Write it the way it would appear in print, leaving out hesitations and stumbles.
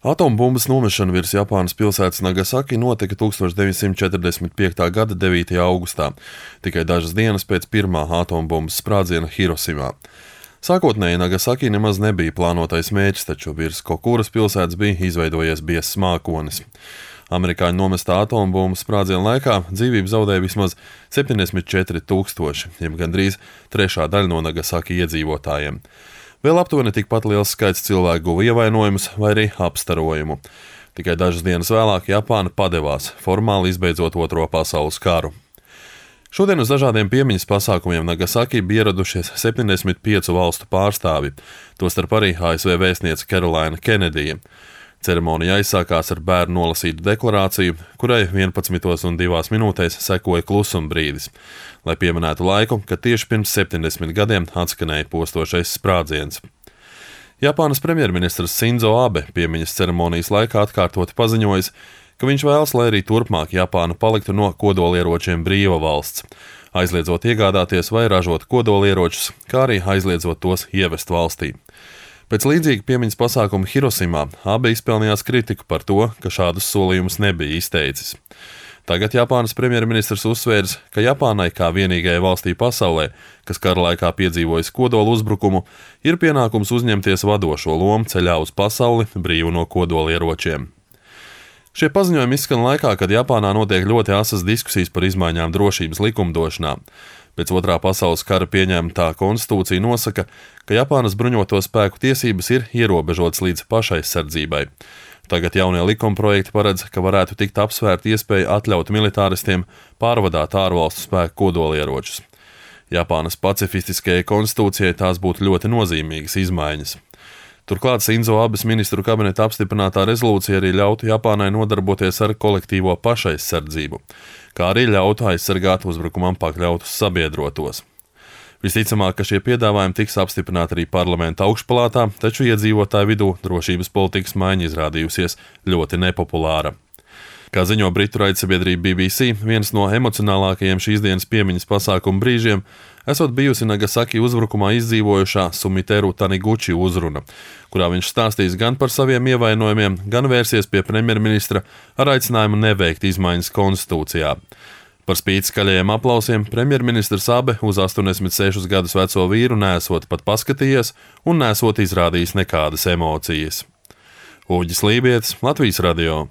Atombumbas nomešana virs Japānas pilsētas Nagasaki notika 1945. gada 9. augustā, tikai dažas dienas pēc pirmā atombumbas sprādziena Hirosimā. Sākotnēji Nagasaki nemaz nebija plānotais mērķis, taču virs Kokuras pilsētas bija izveidojies biezs mākonis. Amerikāņu nomestā atombumbu sprādziena laikā dzīvību zaudēja vismaz 74,000, jeb gandrīz trešā daļa no Nagasaki iedzīvotājiem. Vēl aptuveni tikpat liels skaits cilvēku guva ievainojumus vai arī apstarojumu. Tikai dažas dienas vēlāk Japāna padevās, formāli izbeidzot Otro pasaules karu. Šodien uz dažādiem piemiņas pasākumiem Nagasaki bija ieradušies 75 valstu pārstāvi, tostarp arī ASV vēstniece Caroline Kennedija. Ceremonija aizsākās ar bērnu nolasītu deklarāciju, kurai 11:02 sekoja klusuma brīdis, lai pieminētu laiku, kad tieši pirms 70 gadiem atskanēja postošais sprādziens. Japānas premjerministrs Sinzo Abe piemiņas ceremonijas laikā atkārtoti paziņojis, ka viņš vēlas, lai arī turpmāk Japāna paliktu no kodolieročiem brīva valsts, aizliedzot iegādāties vai ražot kodolieročus, kā arī aizliedzot tos ievest valstī. Pēc līdzīga piemiņas pasākuma Hirosimā Abe izpelnījās kritiku par to, ka šādus solījumus nebija izteicis. Tagad Japānas premjerministrs uzsvērs, ka Japānai kā vienīgajai valstī pasaulē, kas kara laikā piedzīvojas kodola uzbrukumu, ir pienākums uzņemties vadošo lomu ceļā uz pasauli brīvu no kodolieročiem. Šie paziņojumi izskan laikā, kad Japānā notiek ļoti asas diskusijas par izmaiņām drošības likumdošanā. Pēc Otrā pasaules kara pieņemtā konstitūcija nosaka, ka Japānas bruņoto spēku tiesības ir ierobežotas līdz pašaizsardzībai. Tagad jaunie likumprojekti paredz, ka varētu tikt apsvērta iespēja atļaut militāristiem pārvadāt ārvalstu spēku kodolieročus. Japānas pacifistiskajai konstitūcijai tās būtu ļoti nozīmīgas izmaiņas. Turklāt Sinzo Abes ministru kabineta apstiprinātā rezolūcija arī ļautu Japānai nodarboties ar kolektīvo pašaizsardzību, kā arī ļautu aizsargāt uzbrukumam pakļautus sabiedrotos. Visticamāk, ka šie piedāvājumi tiks apstiprināti arī parlamenta augšpalātā, taču iedzīvotāju vidū drošības politikas maiņa izrādījusies ļoti nepopulāra. Kā ziņo britu raidsabiedrība BBC, viens no emocionālākajiem šīs dienas piemiņas pasākuma brīžiem esot bijusi Nagasaki uzbrukumā izdzīvojušā Sumiteru Taniguchi uzruna, kurā viņš stāstīs gan par saviem ievainojumiem, gan vērsies pie premjerministra ar aicinājumu neveikt izmaiņas konstitūcijā. Par spīti skaļajiem aplausiem premjerministrs Abe uz 86 gadus veco vīru nesot pat paskatījies un nesot izrādījis nekādas emocijas. Uģis Lībietis, Latvijas radio.